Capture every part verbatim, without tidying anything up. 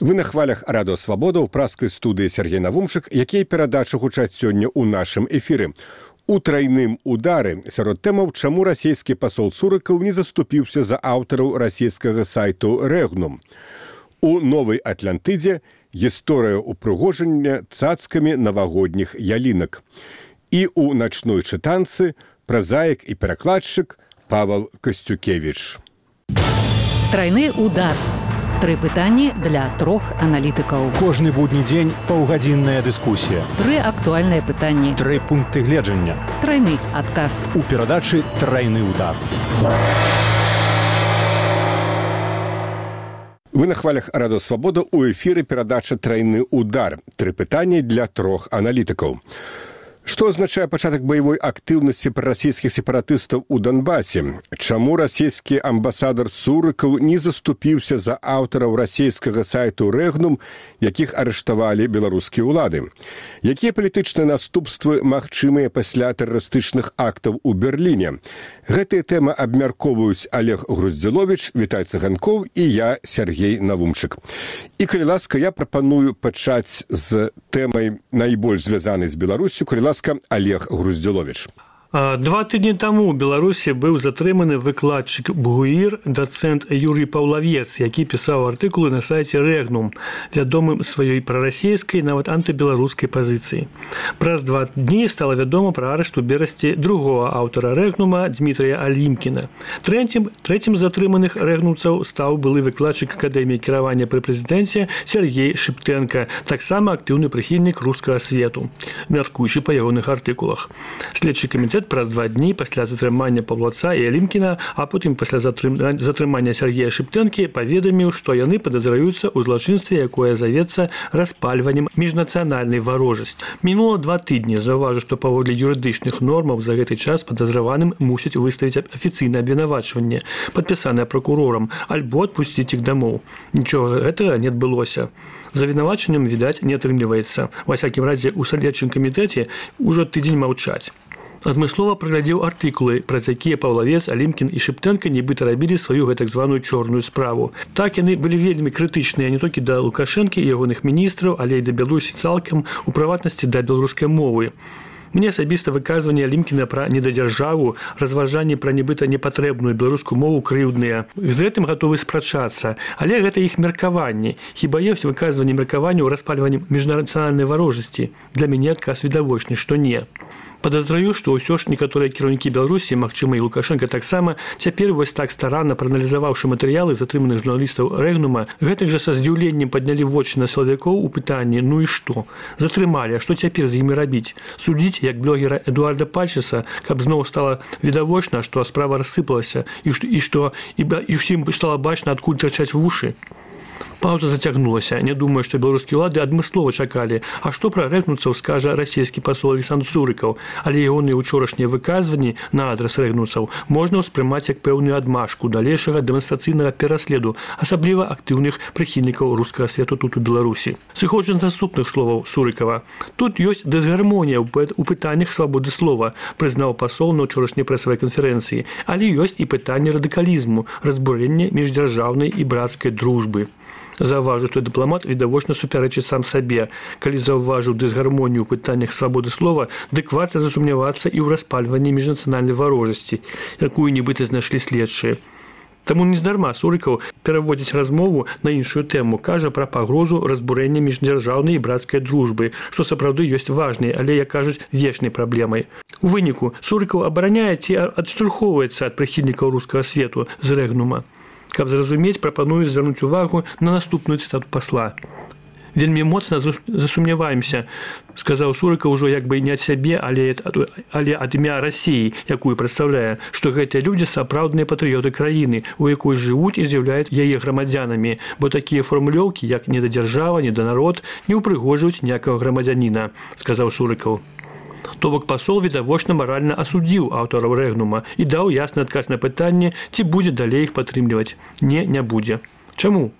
Вы на хвалях Радио Свабода ў праскай студыі Сергей Навумчык, якія перадачы гучаць сёння ў нашым эфіры. У трайным удары сярод тэмаў, чаму расійскі пасол Сурыкаў не заступіўся за аўтараў расійскага сайту Рэгнум. У Новай Атлантыдзе гісторыя ўпрыгожання цацкамі навагодніх ялінак. І ў начной чытанцы празаік і перакладчык Павел Костюкевич. Трайны удар. Тры пытанні для трох аналітыкаў. Кожны будні дзень паўгадзінная дыскусія. Тры актуальныя пытанні. Тры пункты гледжання. Трайны адказ. У перадачы «Трайны удар». Вы на хвалях Радио Свабода, у эфіры перадача «Трайны удар». Тры пытанні для трох аналітыкаў. Што азначае пачатак баявой актыўнасці прарасійскіх сепаратыстаў у Донбасе? Чаму расійскі амбасадар Сурыкаў не заступіўся за аўтараў расійскага сайту Рэгнум, якіх арыштавалі беларускія ўлады? Якія палітычныя наступствы магчымыя пасля тэрарыстычных актаў у Берліне? Гэтыя тэмы абмяркоўваюць Олег Груздзіловіч, Віталь Цыганкоў і я, Сергей Навумчык. І, калі ласка, я прапаную пачаць з тэмай найбольш звязанай з Беларусю, калі ласка, Олег Груздзіловіч. Два тыдні таму ў Беларусі быў затрыманы выкладчык БГУІР, дацэнт Юрый Паўлавец, які пісаў артыкулы на сайце Рэгнум, вядомым сваёй прарасійскай, нават антыбеларускай пазіцыі. Праз два дні стала вядома пра арышт у Берасці другога аўтара Рэгнума Дмітрыя Алімкіна. Трэцім, трэцім затрыманых рэгнумцаў стаў былы выкладчык Акадэміі кіравання пры прэзідэнце Сергей Шыптэнка, таксама актыўны прыхільнік рускага свету, мяркуючы па ягоных артыкулах. Следчы камітэт праз два дні пасля затрымання Паўлаца і Алімкіна, а потым пасля затрымання Сергея Шыптэнкі паведаміў, што яны падазраюцца ў злачынстве, якое завецца распальваннем міжнацыянальнай варожасці. Мінула два тыдні. Заўважу, што паводле юрыдычных нормаў за гэты час падазраваным мусяць выставіць афіцыйнае абвінавачванне, падпісанае пракурорам, альбо адпусціць іх дамоў. Нічога гэтага не адбылося. За вінавачаннем, відаць, не атрымліваецца. Ва всякім разе, у следчым камітэце ўжо тыдзень маўчаць. Адмыслова праглядзеў артыкулы, праз якія Паўлавец, Алімкін і Шыптэнка нібыта рабілі сваю гэтак званую чорную справу. Так яны былі вельмі крытычныя не толькі да Лукашэнкі і ягоных міністраў, але і да Беларусі цалкам, у прыватнасці да беларускай мовы. Мне асабіста выказванне Алімкіна пра недадзяржаву, разважанні пра нібыта непатрэбную беларускую мову крыўдныя. З гэтым гатовы спрачацца, але гэта іх меркаванні. Хіба ёсць выказванне меркаванняў распальваннем міжнацыянальнай варожасці? Для мяне адказ відавочны, што не. Падазраю, што ўсё ж некаторыя кіраўнікі Беларусі, магчыма, і Лукашэнка таксама, цяпер вось так старанна прааналізаваўшы матэрыялы затрыманых журналістаў Рэгнума, гэтак жа са здзіўленнем паднялі вочы на сілавікоў у пытанні: ну і што? Затрымалі, а што цяпер з імі рабіць? Судзіць, як блогера Эдуарда Пальчеса, каб зноў стала відавочна, што справа рассыпалася і што і ўсім стала бачна, адкуль трачаць вушы. Пауза зацягнулася. Не думаю, што беларускія ўлады адмыслова чакалі. А што пра рэгнумцаў скажа расійскі пасол Александр Сурыкаў? Але ягоныя учорашнія выказванні на адрас рэгнумцаў можна ўспрымаць як пэўную адмашку далейшага дэманстрацыйнага пераследу, асабліва актыўных прыхільнікаў рускага свету тут у Беларусі. Сыходжу з наступных словаў Сурыкава. Тут ёсць дысгармонія ў пытаннях свабоды слова, прызнаў пасол на ўчорашняй прэсавай канферэнцыі, але ёсць і пытанне радыкалізму, разбурэння міждзяржаўнай і брацкай дружбы. Заўважу, што дыпламат відавочна супярэчыць сам сабе. Калі заўважыў дысгармонію ў пытаннях свабоды слова, дык варта засумнявацца і ў распальванні міжнацыянальнай варожасці, якую нібыта знайшлі следчыя. Таму нездарма Сурыкаў пераводзіць размову на іншую тэму, кажа пра пагрозу разбурэння міждзяржаўнай і брацкай дружбы, што сапраўды ёсць важнай, але, як кажуць, вечнай праблемай. У выніку Сурыкаў абараняе ці адштурхоўваецца ад прыхільнікаў рускага свету з Рэгнума. Каб зразумець, прапаную звярнуць увагу на наступную цытату пасла. Вельмі моцна засумняваемся, сказаў Сурыкаў ужо як бы не ад сябе, але, але ад імя Расіі, якую прадстаўляе, што гэтыя людзі сапраўдныя патрыёты краіны, у якой жывуць і з'яўляюць яе грамадзянамі, бо такія фармулёўкі, як недадзяржава, неданарод, не ўпрыгожваюць ніякага грамадзяніна, сказаў Сурыкаў. То бок пасол відавочна маральна асудзіў аўтараў Рэгнума і даў ясны адказ на пытанне, ці будзе далей іх падтрымліваць. Не, не будзе. Чаму?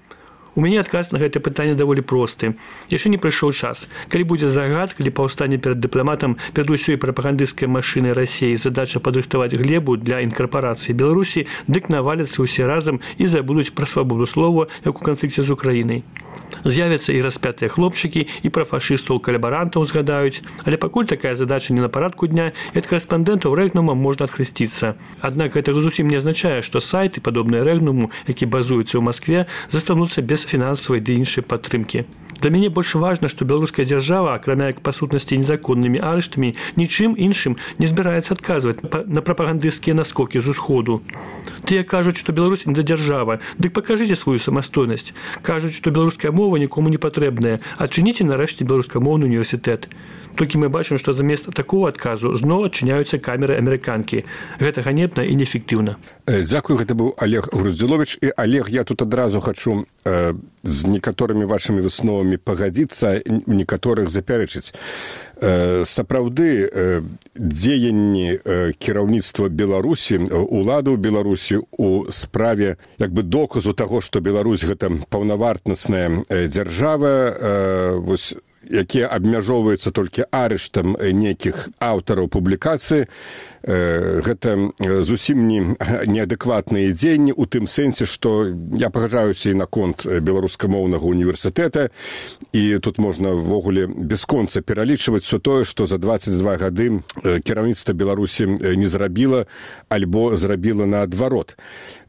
У мяне адказ на гэтае пытанне даволі просты. Яшчэ не прыйшоў час. Калі будзе загад, калі паўстане перад дыпламатам, перад усёй прапагандысцкай машынай Расіі задача падрыхтаваць глебу для інкарпорацыі Беларусі, дык наваляцца ўсе разам і забудуць пра свабоду слова, як у канфлікце з Украінай. З'явяцца і распятыя хлопчыкі, і пра фашыстаў-калабарантаў згадаюць, але пакуль такая задача не на парадку дня, і ад корэспандэнтаў Рэгнума можна адхрысціцца. Аднак гэта зусім не азначае, што сайты, падобныя Рэгнуму, які базуюцца ў Маскве, застануцца без фінансавай ды іншай падтрымкі. Для мяне больш важна, што беларуская дзяржава, акрамя як па сутнасці незаконнымі арыштамі, нічым іншым не збіраецца адказваць на прапагандысцкія наскокі з усходу. Тыя кажуць, што Беларусь не дзяржава, дык пакажыце сваю самастойнасць. Кажуць, што беларуская мова нікому не патрэбная, адчыніце нарэшце беларускамоўны універсітэт. Толькі мы бачым, што замест такого адказу зноў адчыняюцца камеры амерыканкі. Гэта ганебна і неэфектыўна. Дзякую, гэта быў Олег Груздзіловіч. І, Олег, я тут адразу хачу э, з некаторымі вашымі высновамі пагадзіцца, некаторых запярэчыць. Э, сапраўды, э, дзеянні э, кіраўніцтва Беларусі, уладаў Беларусі у справе як бы доказу таго, што Беларусь гэта паўнавартнасная э, дзяржава, э, вось, якія абмяжоўваюцца толькі арыштам нейкіх аўтараў публікацыі, гэта зусім не неадэкватныя дзеянні у тым сэнсе, што я пагаджаюся і наконт беларускамоўнага універсітэта, і тут можна ввогуле бясконца пералічваць усё тое, што за дваццаць два гады кіраўніцтва Беларусі не зрабіла альбо зрабіла наадварот.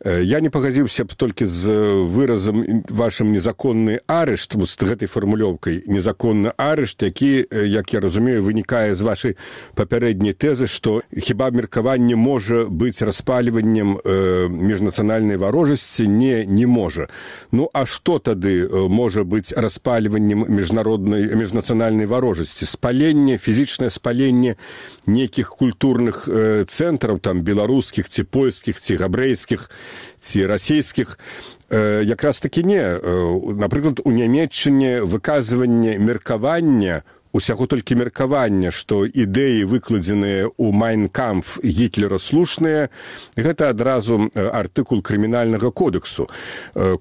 Я не пагадзіўся б толькі з выразам вашым незаконны арышт, з гэтай фармулёўкай незаконны арышт, які, як я разумею, вынікае з вашай папярэдняй тэзы, што хіба меркаванне можа быць распальваннем э, міжнацыянальнай варожасці? Не, не можа. Ну, а што тады можа быць распальваннем міжнароднай, міжнацыянальнай варожасці? Спаленне, фізічнае спаленне нейкіх культурных э, цэнтраў, там, беларускіх, ці польскіх, ці габрэйскіх, ці расійскіх, э, якраз такі не. Э, напрыклад, у Нямецчыне выказванне меркавання, усяго толькі меркавання, што ідэі, выкладзеныя ў «Майн-кампф» Гітлера слушныя, гэта адразу артыкул крымінальнага кодексу.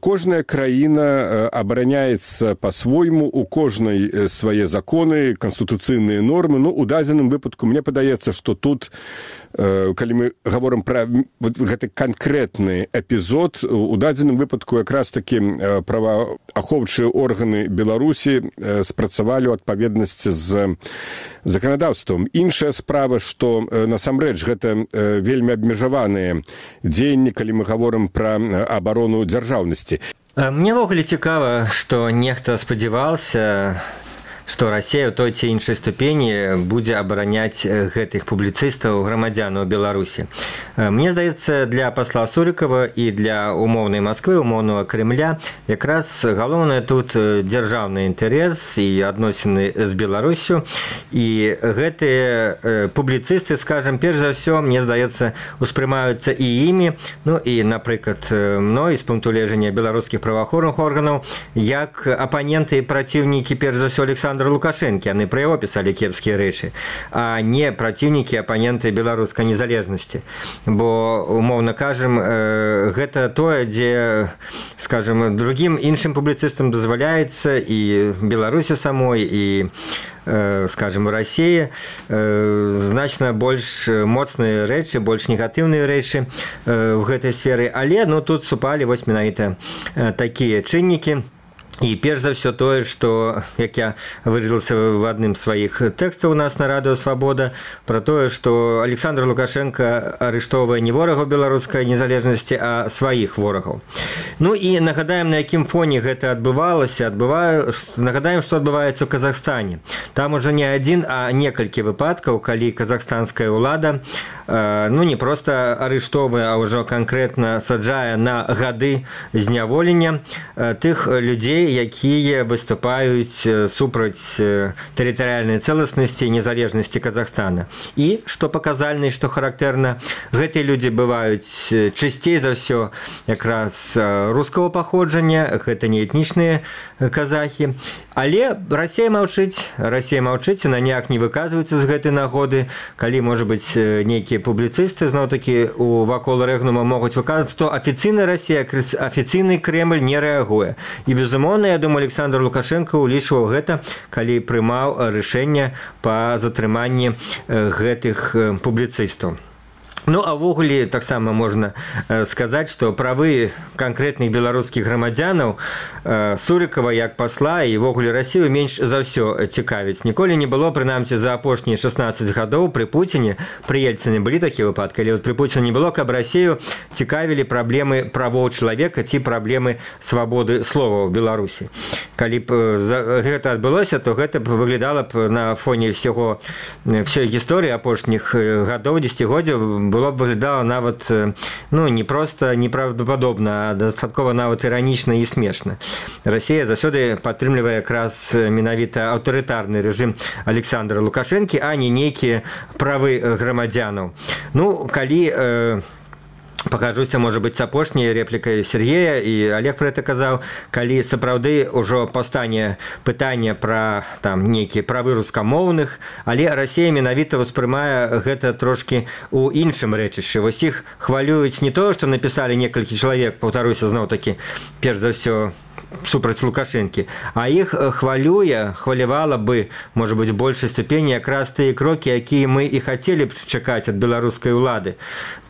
Кожная краіна абараняецца па-свойму, у кожнай свае законы, канстытуцыйныя нормы. Ну, у дадзеным выпадку мне падаецца, што тут, калі мы гаворым пра гэты канкрэтны эпізод, у дадзеным выпадку якраз такі праваахоўчыя органы Беларусі спрацавалі ў адпаведнасці з заканадаўствам. Іншая справа, што насамрэч гэта вельмі абмежаваныя дзеянні, калі мы гаворым пра абарону дзяржаўнасці. Мне ввогуле цікава, што нехта спадзяваўся, што Расія ў той ці іншай ступені будзе абараняць гэтых публіцыстаў, грамадзянаў Беларусі. Мне здаецца, для пасла Сурыкава і для умоўнай Масквы, умоўнага Крымля, якраз галоўнае тут дзяржаўны інтарэс і адносіны з Беларусю. І гэтыя публіцысты, скажам, перш за ўсё, мне здаецца, успрымаюцца і імі, ну і, напрыклад, мной, з пункту гледжання беларускіх праваахоўных органаў, як апаненты і праціўнікі, перш за ўсё, Александра Лукашэнкі, яны пра яго пісалі кепскія рэчы, а не праціўнікі, апаненты беларускай незалежнасці. Бо, умоўна кажам, гэта тое, дзе, скажам, другім іншым публіцыстам дазваляецца і Беларусі самой, і, скажам, Расіі значна больш моцныя рэчы, больш негатыўныя рэчы в гэтай сферы, але, ну, тут супалі вось менавіта такія чыннікі. І перш за ўсё тое, што, як я выразіўся в адным з сваіх тэкстаў у нас на Радыё Свабода, пра тое, што Александр Лукашенко арыштоўвае не ворагаў беларускай незалежнасці, а сваіх ворагаў. Ну і нагадаем, на якім фоне гэта адбывалася. Адбываю, нагадаем, што адбываецца ў Казахстане. Там ужо не адзін, а некалькі выпадкаў, калі казахстанская ўлада, ну не проста арыштоўвае, а ўжо канкрэтна саджае на гады зняволення тых людзей, якія выступаюць супраць тэрытарыяльнай цэласнасці і незалежнасці Казахстана. І, што паказальна, што характэрна, гэтыя людзі бываюць часцей за ўсё якраз рускага паходжання, гэта не этнічныя казахі. Але Расія маўчыць, Расія маўчыць, на ніяк не выказваецца з гэтай нагоды, калі, можа быць, нейкія публіцысты, зноў-такі, у вакол Рэгнума могуць выказваць, то афіцыйная Расія, афіцыйны Крэмль не рэагуе. І, безумоўна, я думаю, Александр Лукашенко улічваў гэта, калі прымаў рашэнне па затрыманні гэтых публіцыстаў. Ну, а ўвогуле таксама можна сказаць, што правы канкрэтных беларускіх грамадзянаў Сурыкава як пасла і ўвогуле Расію менш за ўсё цікавіць. Ніколі не было, прынамсі, за апошнія шаснаццаць гадоў пры Пуціне, пры Ельцыне былі такія выпадкі, але пры Пуціне не было, каб Расію цікавілі праблемы правоў чалавека ці праблемы свабоды слова ў Беларусі. Калі б гэта адбылося, то гэта б выглядала б на фоне ўсяго ўсёй гісторыі апошніх гадоў, дзесяцігоддзяў, было б выглядала нават ну, не проста неправдападобна, а дастаткова нават іранічна і смешна. Расія заўсёды падтрымлівае якраз менавіта аўтарытарны рэжым Александра Лукашэнкі, а не нейкія правы грамадзянаў. Ну, калі э, пакажуся, можа быць, апошняй рэплікай Сергея, і Олег пра гэта казаў, калі сапраўды ўжо паўстане пытанне пра там нейкія правы рускамоўных, але Расія менавіта ўспрымае гэта трошкі ў іншым рэчышчы. Вось іх хвалююць не то, што напісалі некалькі чалавек, паўтаруся зноў-такі, перш за ўсё, супраць Лукашэнкі, а іх хвалюе, хвалявала бы, можа быць, большай ступені якраз тыя крокі, якія мы і хацелі б чакаць ад беларускай улады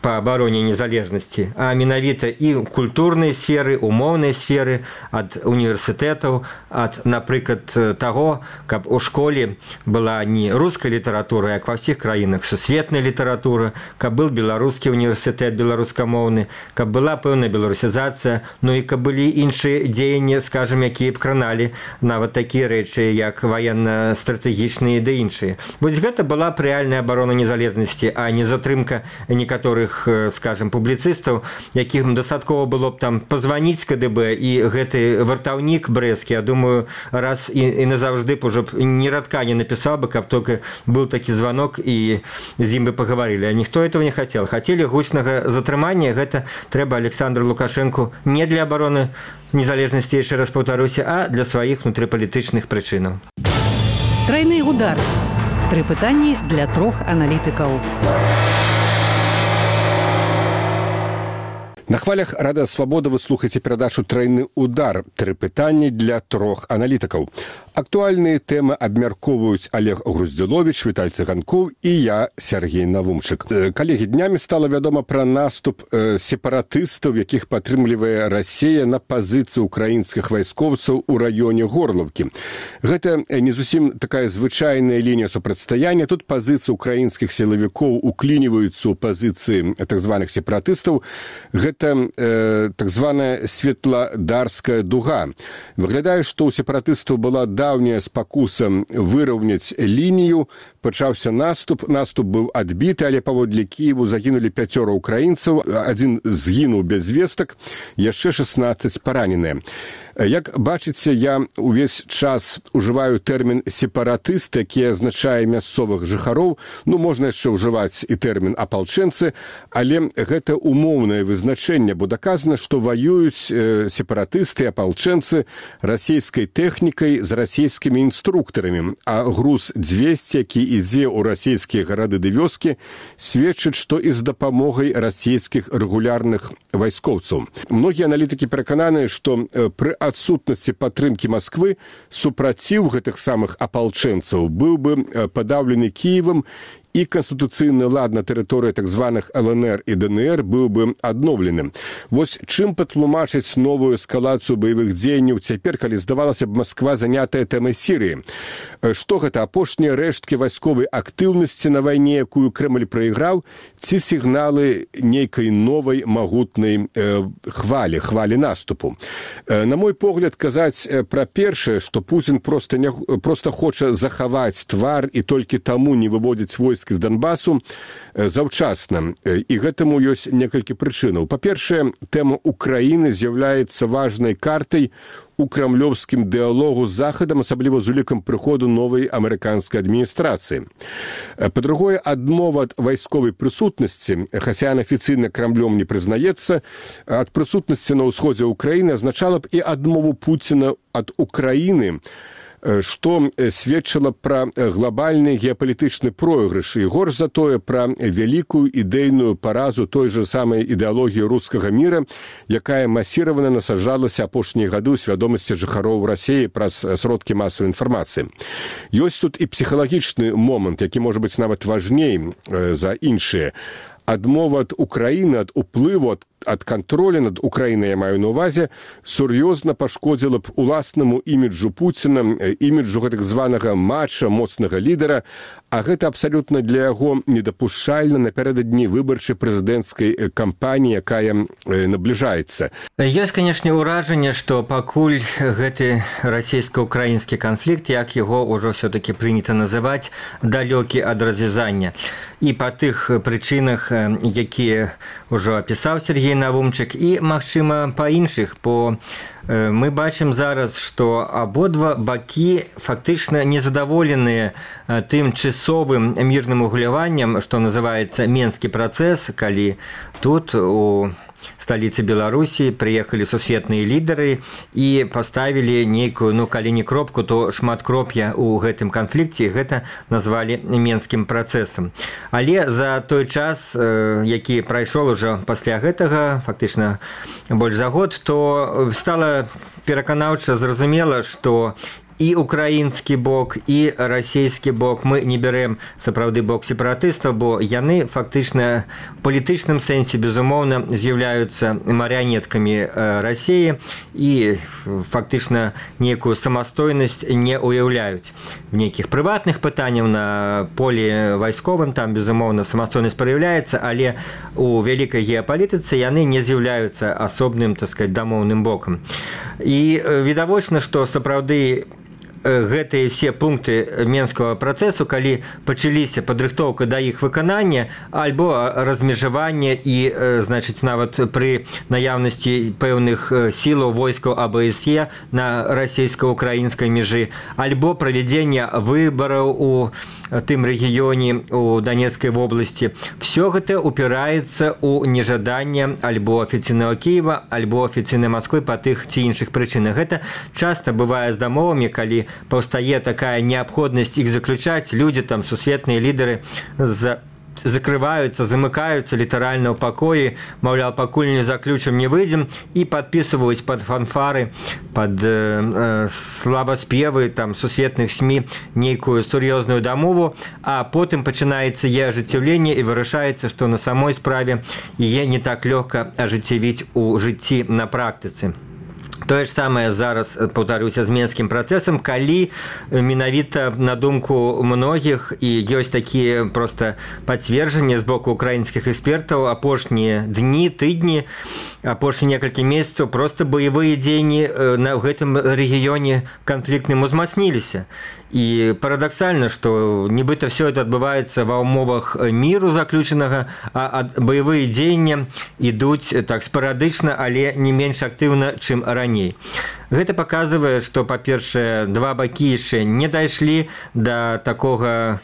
па абароне незалежнасці, а менавіта і культурнай сферы, умоўнай сферы, ад універсітэтаў, ад, напрыклад, таго, каб у школе была не руская літаратура, як ва ўсіх краінах, сусветная літаратура, каб быў беларускі універсітэт беларускамоўны, каб была пэўная беларусізацыя, ну і каб былі іншыя дзеянні, скажем, якія б краналі нават такія рэчы, як ваенна-стратэгічныя ды іншыя. Вось гэта была б рэальная абарона незалежнасці, а не затрымка некаторых, скажем, публіцыстаў, якім дастаткова было б там пазваніць КДБ, і гэты вартаўнік брэсцкі, я думаю, раз і, і назаўжды б ужо ні радка не напісаў бы, каб толькі быў такі званок і з ім бы пагаварылі. А ніхто этого не хацеў. Хацелі гучнага затрымання, гэта трэба Александру Лукашэнку не для абароны незалежнасці, яшчэ раз паўтаруся, а для сваіх внутрыпалітычных прычынаў. Трайны удар. Тры пытанні для трох аналітыкаў. На хвалях Радыё Свабода вы слухаеце перадачу «Трайны удар». Тры пытанні для трох аналітыкаў. Актуальныя тэмы абмяркоўваюць Олег Груздзіловіч, Віталь Цыганкоў і я, Сергей Навумчык. Калегі, днямі стала вядома пра наступ сепаратыстаў, якіх падтрымлівае Расія на пазіцыі украінскіх вайскоўцаў у раёне Горлаўкі. Гэта не зусім такая звычайная лінія супрацьстаяння. Тут пазіцыі украінскіх сілавікоў уклініваюцца ў пазіцыі так званых сепаратыстаў. Гэта э, так званая светладарская дуга. Выглядае, што ў сепаратыстаў была даўняя спакуса выраўняць лінію, пачаўся наступ, наступ быў адбіты, але паводле Кіеву загінулі пяцёра ўкраінцаў, адзін згінуў без вестак, яшчэ шаснаццаць параненыя. Як бачыце, я увесь час ужываю тэрмін сепаратыст, які азначае мясцовых жыхароў. Ну, можна яшчэ ўжываць і тэрмін апалчэнцы, але гэта умоўнае вызначэнне, бо даказана, што ваююць сепаратысты, апалчэнцы расійскай тэхнікай з расійскімі інструктарамі, а груз дзвесце, які ідзе ў расійскія гарады ды вёскі, сведчыць, што і з дапамогай расійскіх рэгулярных вайскоўцаў. Многія аналітыкі перакананыя, што пры адсутнасці падтрымкі Масквы супраціў гэтых самых апалчэнцаў быў бы падаўлены Кіевам, і канстытуцыйны лад на тэрыторыі так званых эл эн эр і дэ эн эр быў бы адноўлены. Вось чым патлумачыць новую эскалацыю баявых дзеянняў цяпер, калі здавалася б Масква занятая тэмай Сірыі? Што гэта, апошнія рэшткі вайсковай актыўнасці на вайне, якую Крэмль прайграў, ці сігналы нейкай новай магутнай э, хвалі, хвалі наступу? Э, на мой погляд, казаць пра першае, што Пуцін проста, не, проста хоча захаваць твар і толькі таму не выводзіць войск з Донбасу, заўчасна. І гэтаму ёсць некалькі прычынаў. Па-першае, тэма Украіны з'яўляецца важнай картай у крамлёўскім дыалогу з Захадам, асабліва з улікам прыходу новай амерыканскай адміністрацыі. Па-другое, адмова ад вайсковай прысутнасці, хаця афіцыйна Крамлём не прызнаецца, ад прысутнасці на ўсходзе Украіны азначала б і адмову Пуціна ад Украіны, што сведчыла пра глобальны геапалітычны пройгрыш і горш за тое пра вялікую ідэйную паразу той же самай ідэалогіі рускага міра, якая масіравана насаджалася апошнія гады ў свядомасці жыхароў Расіі праз сродкі масавай інфармацыі. Ёсць тут і псіхалагічны момант, які можа быць нават важней за іншыя. адмова ад Украіны ад уплыву ад ад кантролю над Украінай, я маю на ўвазе, сур'ёзна пашкодзіла б уласнаму іміджу Пуціна, іміджу гэтак званага мача, моцнага лідара, а гэта абсалютна для яго недапушчальна напярэдадні выбарчай прэзідэнцкай кампаніі, якая набліжаецца. Ёсць, канешне, ўражанне, што пакуль гэты расійска-украінскі канфлікт, як яго ўжо ўсё-такі прынята называць, далёкі ад развязання. І па тых прычынах, якія ўжо апісаў Сергей Навумчык, і, магчыма, па іншых, бо мы бачым зараз, што абодва бакі фактычна незадаволеныя тым часовым мірным угляваннем, што называецца Менскі працэс, калі тут у сталіцы Беларусі прыехалі сусветныя лідары і паставілі нейкую, ну, калі не кропку, то шматкроп'я ў гэтым канфлікце, гэта назвалі Менскім працэсам. Але за той час, які прайшоў ужо пасля гэтага, фактычна больш за год, то стала пераканаўча зразумела, што і украінскі бок, і расійскі бок, мы не бярэм сапраўды бок сепаратыстаў, бо яны фактычна в палітычным сэнсе, безумоўна, з'яўляюцца марыянеткамі Расіі і фактычна нейкую самастойнасць не ўяўляюць. В нейкіх прыватных пытанняў на полі вайсковым там, безумоўна, самастойнасць праяўляецца, але у вялікай геапалітыцы яны не з'яўляюцца асобным, так сказаць, дамоўным бокам. І відавочна, што сапраўды гэтыя все пункты Менскага працэсу, калі пачаліся падрыхтоўка да іх выканання альбо размежавання і, значыць, нават пры наяўнасці пэўных сілаў войскаў АБСЕ на расійска-украінскай межы, альбо правядзення выбараў у тым рэгіёне у Донецкай вобласці. Все гэта упіраецца ў нежаданне альбо афіцыйнага Кіева, альбо афіцыйнай Масквы па тых ці іншых прычынах. Гэта часта бывае з дамовамі, калі паўстае такая неабходнасць іх заключаць, людзі там, сусветныя лідары за закрываюцца, замыкаюцца літаральна ў пакоі, маўляў, пакуль не заключым, не выйдзем, і падпісваюць пад фанфары, пад э, славаспевы там сусветных СМІ нейкую сур'ёзную дамову, а потым пачынаецца яе ажыццяўленне і вырашаецца, што на самой справе яе не так лёгка ажыццявіць у жыцці на практыцы. Тое ж самае зараз, паўтаруся, з Менскім працэсам, калі менавіта на думку многіх і ёсць такія проста пацверджанні з боку украінскіх экспертаў, апошнія дні, тыдні, апошнія некалькі месяцаў проста баявыя дзеянні на гэтым рэгіёне канфліктным узмацніліся. І парадаксальна, што нібыта все это адбываецца ва ўмовах міру заключанага, а баявыя дзеянні ідуць так спарадычна, але не менш актыўна, чым раней. Гэта паказвае, што, па-першае, два бакі яшчэ не дайшлі да такога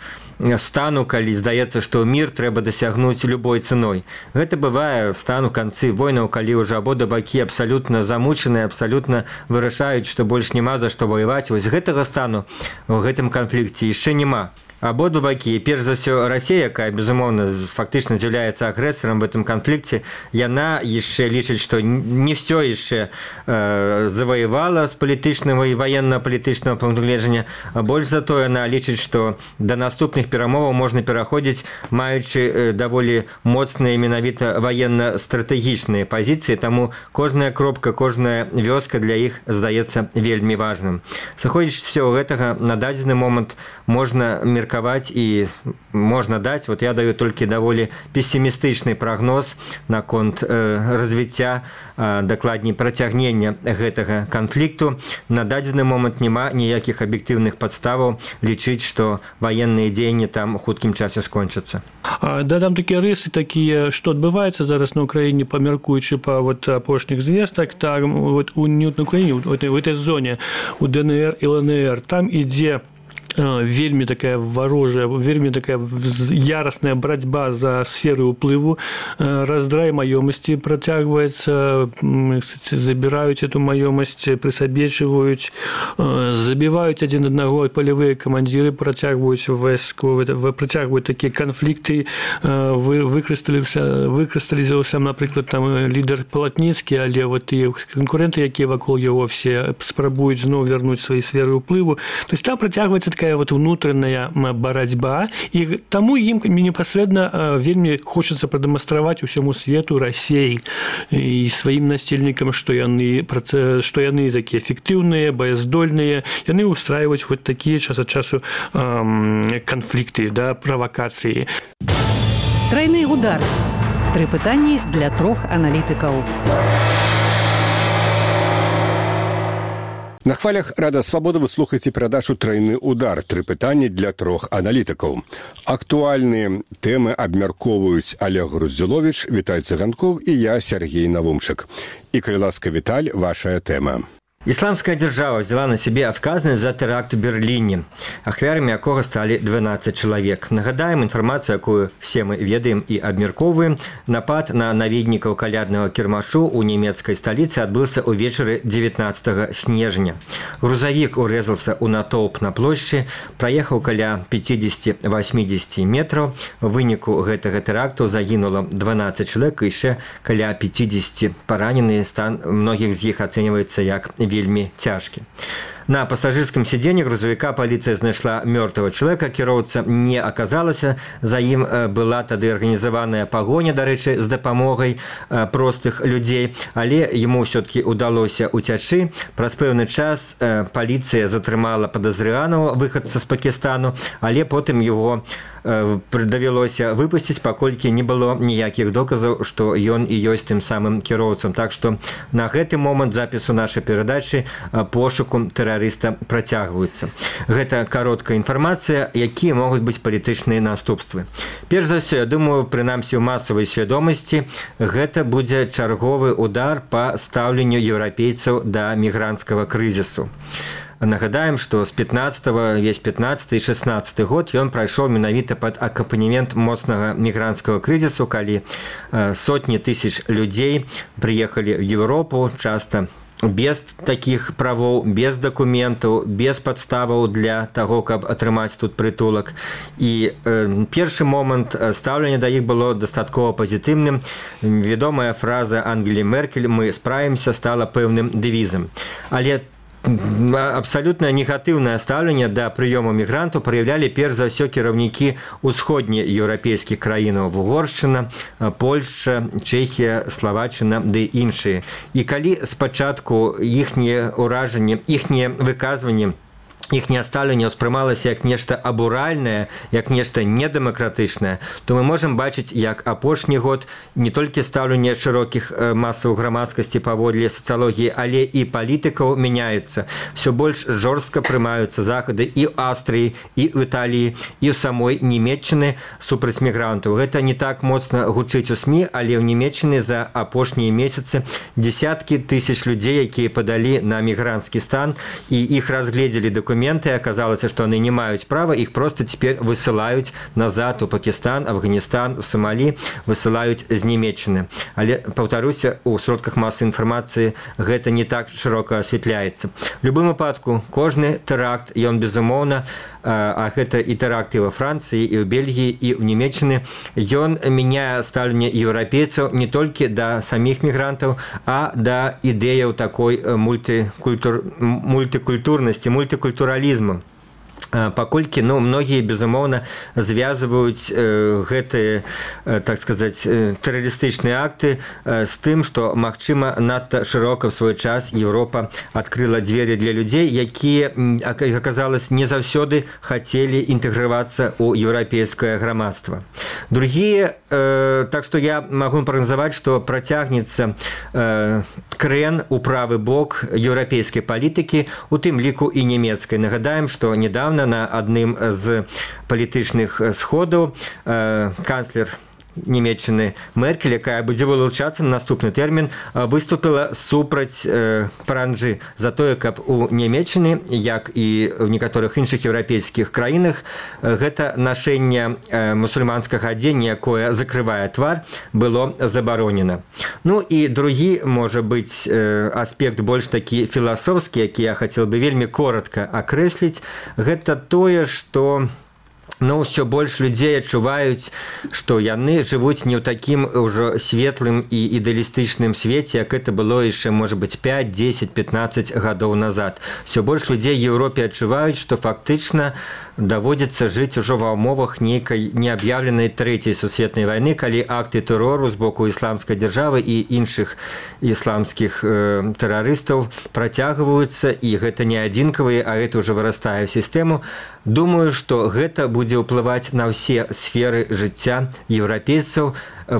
стану, калі здаецца, што мір трэба дасягнуць любой цэной. Гэта бывае стан у канцы войнаў, калі ўжо абодва бакі абсалютна замучаныя, абсалютна вырашаюць, што больш няма за што ваяваць. Вось гэтага стану ў гэтым канфлікце яшчэ няма. Абодва бакі, перш за ўсё Расія, якая, безумоўна, фактычна з'яўляецца агрэсарам в этом канфлікце, яна яшчэ лічыць, што не все яшчэ э, заваявала з палітычнага і ваенна-палітычнага пункту гледжання. Больш за то, яна лічыць, што да наступных перамоваў можна пераходзіць, маючы э, даволі моцныя менавіта ваенна-стратэгічныя пазіцыі, таму кожная кропка, кожная вёска для іх здаецца вельмі важным. Сыходзячы з усяго гэтага, на дадзены момант можна меркаваць і можна даць, вот я даю толькі даволі пессімістычны прагноз наконт э, развіцця, э, дакладней працягнення гэтага канфлікту. На дадзены момант няма ніякіх аб'ектыўных падставаў лічыць, што ваенныя дзеянні там у хуткім часе скончацца. Дадам такія рысы, такія, што адбываецца зараз на Украіне, памяркуючы па вот апошніх звестак, так, вот у не на Украіне, у этой, у этой зоне, у ДНР і ЛНР, там ідзе вельмі такая варожая, вельмі такая яростная борьба за сферы уплыву, раздрай маёмасці працягваецца, забіраюць эту маёмасць, прысабечваюць, забіваюць адзін аднаго, палявыя камандзіры працягваюць войску, працягваюць такія канфлікты, выкрысталізаваўся, напрыклад, там лідар Палатніцкі, але вот і канкуренты, якія вакол яго все спрабуюць зноў вярнуць свае сферы уплыву. То есть там працягваецца такая вот внутренняя барацьба, і таму ім непасрэдна вельмі хочацца прадэманстраваць усяму свету Расіі і сваім насельнікам, што яны што яны такія эфектыўныя, баяздольныя, яны ўстрайваюць вот такія час ад часу канфлікты, да, правакацыі. Трайны удар. Тры пытанні для трох аналітыкаў. На хвалях Рада Свабода вы слухаеце перадачу «Трайны удар». Тры пытанні для трох аналітыкаў. Актуальныя тэмы абмяркоўваюць Олег Груздзіловіч, Віталь Цыганкоў і я, Сергей Навумчык. І, калі ласка, Віталь, вашая тэма. Исламская держава взяла на себе отказность за теракт в Берлине, ахвярами якога стали двенадцать человек. Нагадаем информацию, якую все мы ведаем и обмерковываем. Напад на наведников калядного кірмашу у немецкой столице отбылся увечары девятнадцатого снежня. Грузовик урезался у натоўп на площади, проехал каля пятьдесят-восемьдесят метров. В выніку гэтага теракту загинуло двенадцать человек, и еще каля пятьдесят пораненные. Стан многих из них оценивается как вельмі цяжкі. На пассажирском сиденье грузовика полиция знайшла мертвого человека, кіроўца не оказалася, за ім была тады организованная погоня, дарэчы, з дапамогай простых людей, але ему все-таки удалося уцячы. Праз пэўны час полиция затрымала подозреваного выходца з Пакистану, але потым его давялося выпусціць, паколькі не было ніякіх доказаў, што ён і ёсць тым самым кіроўцам. Так што на гэты момант запісу нашай перадачы пошуку тэрарыста працягваюцца. Гэта кароткая інфармацыя, якія могуць быць палітычныя наступствы. Перш за ўсё, я думаю, прынамсі ў масавай свядомасці, гэта будзе чарговы удар па стаўленню еўрапейцаў да мігранцкага крызісу. Нагадаем, што з пятнадцатого, весь пятнадцаты і шестнадцаты год ён прайшоў менавіта пад акампанемент моцнага мігранцкага крызісу, калі сотні тысяч людзей прыехалі ў Еўропу, часта без такіх правоў, без дакументаў, без падставаў для таго, каб атрымаць тут прытулак. І э, першы момант стаўлення да іх было дастаткова пазітыўным. Вядомая фраза Ангелі Меркель «Мы справімся» стала пэўным дэвізам. Але абсолютно негатыўнае стаўленне да прыёму мігрантаў праяўлялі перш за ўсё кіраўнікі усходнееўрапейскіх краінаў: Угоршчына, Польшча, Чэхія, Славаччына ды іншыя. І калі спачатку іхнія ўражанні, іхнія выказванні, іхняе стаўленне ўспрымалася як нешта абуральнае, як нешта недэмакратычнае, то мы можам бачыць, як апошні год не толькі стаўленне шырокіх масаў грамадскасці паводле сацыялогіі, але і палітыкаў мяняецца. Всё больш жорстка прымаюцца захады і ў Аўстрыі, і ў Італіі, і ў самой Нямецчыны супраць мігрантаў. Гэта не так моцна гучыць у СМІ, але ў Нямецчыны за апошнія месяцы дзесяткі тысяч людзей, якія падалі на мігранцкі стан, і іх разгледзелі дакументы, оказалось, что они не маюць права, их просто теперь высылают назад у Пакистан, Афганистан, в Сомали, высылают з Нямецчыны. Але, паўтаруся, у сродках массы информации гэта не так широко осветляется. В любым выпадку, кожны теракт, ён безумоўна, а гэта і тэракты во Франции, и в Бельгии, и в Нямецчыны, ён мяняе стаўленне еўрапейцаў не толькі да самих мігрантаў, а да ідэяў такой мультикультур... мультикультурнасці, мультикультуралізму. Паколькі, ну, многія, безумоўна, звязваюць э, гэтыя, э, так сказаць, э, тэрарыстычныя акты э, з тым, што, магчыма, надта шырока ў свой час Еўропа адкрыла дзверы для людзей, якія, як аказалось, не заўсёды хацелі інтэгравацца ў еўрапейскае грамадства. Другія, э, так што я магу прагназаваць, што працягнецца э, крэн у правы бок еўрапейскай палітыкі, у тым ліку і нямецкай. Нагадаем, што недавно на адным з палітычных сходаў э, канцлер Нямецчыны Меркель, якая будзе вылучацца на наступны тэрмін, выступила супраць э, паранджы за тое, каб у Нямецчыны, як і ў некаторых іншых еўрапейскіх краінах, гэта нашэнне э, мусульманскага адзення, якое закрывае твар, было забаронена. Ну і другі, можа быць, э, аспект больш такі філасофскі, які я хацеў бы вельмі коротка акрэсліць, гэта тое, што Ну, ўсё больш людзей адчуваюць, што яны жывуць не ў такім ўжо светлым і ідэалістычным свеце, як это было яшчэ, можа быць, пяць, дзесяць, пятнаццаць гадоў назад. Усё больш людзей ў Еўропе адчуваюць, што фактычна даводзіцца жыць ужо ва ўмовах нейкай неаб'яўленай трэцяй сусветнай вайны, калі акты тэрору з боку ісламскай дзяржавы і іншых ісламскіх э, тэрарыстаў працягваюцца, і гэта не адзінкавыя, а гэта ўжо вырастае ў сістэму. Думаю, што гэта будзе ўплываць на ўсе сферы жыцця еўрапейцаў,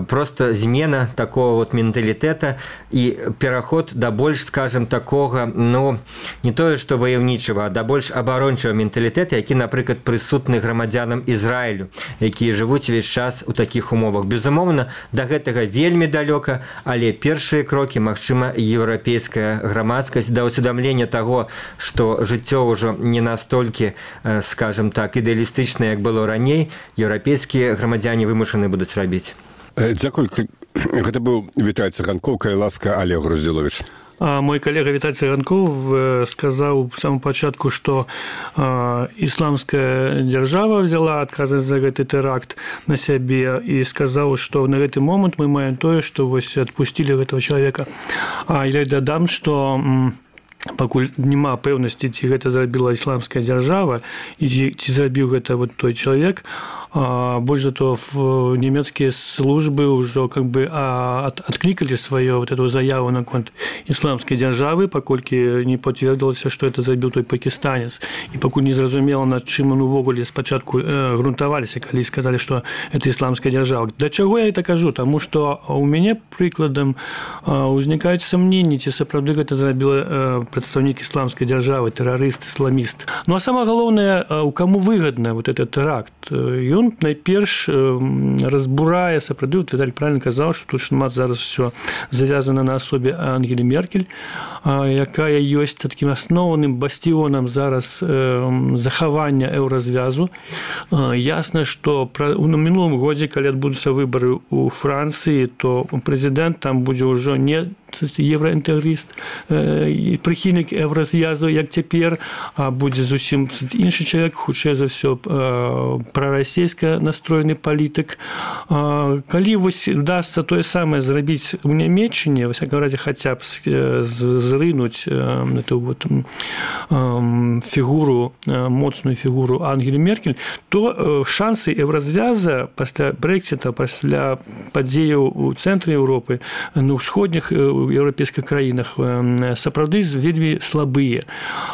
просто змена такого вот менталітэта і пераход да больш, скажем, такога, ну, не тое, што ваяўнічага, а да больш абарончага менталітэта, які, напрыклад, прысутны грамадзянам Ізраілю, якія жывуць увесь час у такіх умовах. Безумоўна, да гэтага вельмі далёка, але першыя крокі, магчыма, еўрапейская грамадскасць да ўсведамлення таго, што жыццё ўжо не настолькі, скажем так, ідэалістычна, як было раней, еўрапейскія грамадзяне вымушаны будуць рабіць. Дзякуй. Гэта быў Віталь Цыганкоў, калі ласка, Олег Груздзіловіч. Мой коллега Виталий Цыганков сказал в самом початку, что э, исламская держава взяла отказывать за этот теракт на себе и сказал, что на этот момент мы имеем то, что вот отпустили этого человека. А я додам, что м, пакуль няма пэўнасці, ці гэта зрабіла ісламская дзяржава і ці зрабіў гэта вот той чалавек, а больш за то нямецкія службы ўжо как бы от, откликали сваю вот эту заяву наконт ісламскай дзяржавы, паколькі не пацвердзілася, што это зрабіў той пакістанец, і пакуль не зразумела, над чым он увогуле спачатку э, грунтаваліся, калі сказалі, што это ісламская дзяржава. Да чаго я это кажу? Таму што у мяне прыкладам э, узнікаюць сомненні, ці сапраўды гэта зрабіла э, прадстаўнік ісламскай дзяржавы, тэрарыст, ісламіст. Ну а самае галоўнае, у каму выгадна вот этот теракт? Ён найперш разбурае, сапраўды, Віталь правильно казаў, што тут шмат зараз все завязана на асобе Ангелі Меркель, якая ёсць такім асноўным басціонам зараз захавання еўразвязу. Ясна, што у мінулым годзе, калі адбудуцца выбары ў Францыі, то прэзідэнт там будзе ўжо не евроінтэгрыст, прыхільнік еўразвязу, як цяпер, а будзе зусім іншы чалавек, хутчэй за ўсё прарасійска настроены палітык. Калі вось удасца тое самае зрабіць у Нямецчыне, во всяком разе хаця б зрынуць эту вот фігуру, моцную фігуру Ангелі Меркель, то шансы еўразвяза пасля Брэксіта, пасля падзеяў у цэнтры Еўропы, ну, ўсходніх еўрапейскіх краінах сапраўды вельмі слабыя.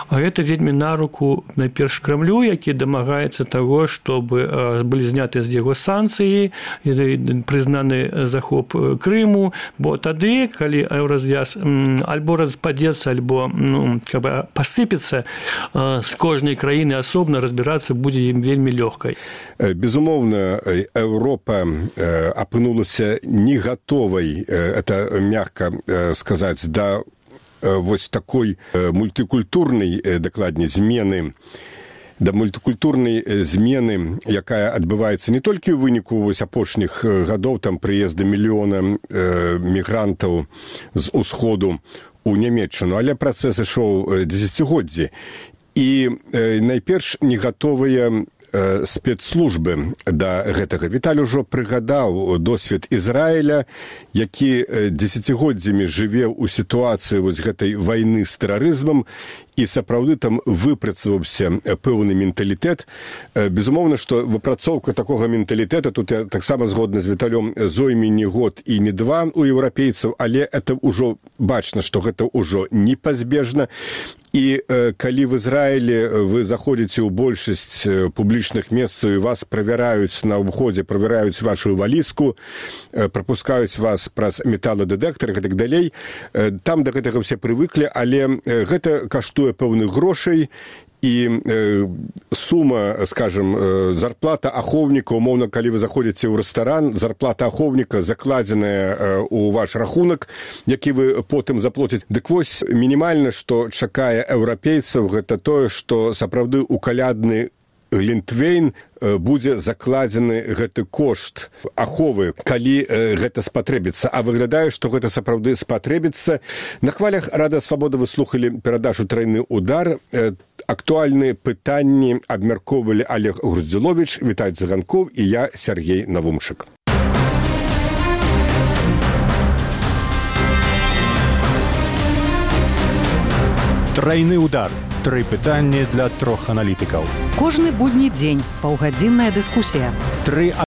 А гэта вельмі на руку найперш Крамлю, які дамагаецца таго, чтобы былі зняты з яго санкцыі, прызнаны захоп Крыму, бо тады, калі еўразвяз альбо распадзецца, альбо ну, как бы пасыпецца, з кожнай краіны асобна разбірацца будзе ім вельмі лёгкай. Безумоўна, Еўропа апынулася не гатовай, это мягка сказаць, да вось такой мультикультурнай, дакладней, змены, да мультикультурнай змены, якая адбываецца не толькі ў выніку вось апошніх гадоў, там прыезда мільёна мігрантаў з усходу у Нямецчыну, але працэс ішоў дзесяцігоддзі. І найперш не гатовыя спецслужбы да гэтага. Віталь ужо прыгадаў досвед Ізраіля, які дзесяцігоддзямі жыве ў сітуацыі вось гэтай вайны з тэрарызмам, і сапраўды там выпрацаваўся пэўны менталітэт. Безумоўна, што выпрацоўка такога менталітэта, тут я таксама згодны з Віталём, зойме не год і не два у еўрапейцаў, але это ўжо бачна, што гэта ўжо непазбежна. І э, калі в Ізраілі вы заходзіце ў большасць публічных месцаў і вас правяраюць на ўходзе, правяраюць вашу валізку, э, прапускаюць вас праз металадэтэктар і так далей, э, там да гэтага все прывыклі, але э, гэта каштуе пэўных грошай, і э, сума, скажем, э, зарплата ахоўніка, умоўна, калі вы заходзіце ў рэстаран, зарплата ахоўніка закладзеная э, у ваш рахунак, які вы потым заплоціць. Дык вось мінімальна, што чакае еўрапейцаў, гэта тое, што сапраўды ў калядны Глінтвейн будзе закладзены гэты кошт аховы, калі гэта спатрэбіцца. А выглядае, што гэта сапраўды спатрэбіцца. На хвалях Рада Свабода вы слухалі перадачу «Трайны удар». Актуальныя пытанні абмяркоўвалі Олег Груздзіловіч, Віталь Цыганкоў і я, Сергей Навумчык. Трайны удар. Тры пытанні для трох аналітыкаў. Кожны будні дзень паўгадзінная дыскусія. Тры